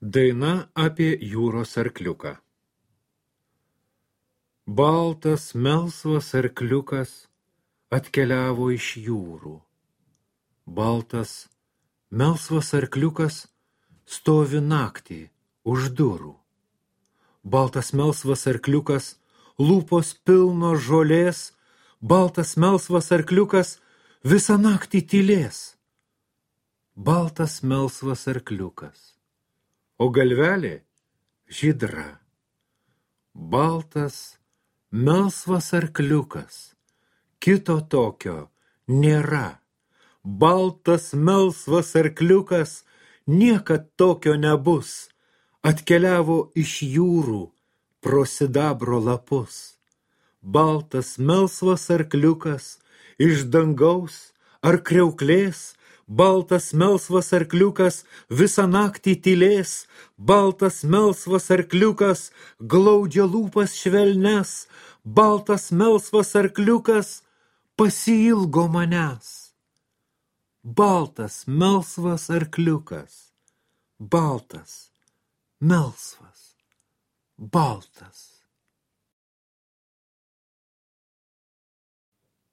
Daina apie jūros arkliuką. Baltas, melsvas arkliukas atkeliavo iš jūrų. Baltas, melsvas arkliukas stovi naktį už durų. Baltas, melsvas arkliukas, lūpos pilno žolės, baltas, melsvas arkliukas visą naktį tylės. Baltas, melsvas arkliukas, o galvelė žydra. Baltas, melsvas arkliukas, kito tokio nėra. Baltas, melsvas arkliukas, niekad tokio nebus. Atkeliavo iš jūrų pro sidabro lapus. Baltas, melsvas arkliukas, iš dangaus ar kriauklės, baltas, melsvas arkliukas visą naktį tylės, baltas, melsvas arkliukas glaudžia lūpas švelnes, baltas, melsvas arkliukas pasiilgo manęs. Baltas, melsvas arkliukas, baltas, melsvas, baltas.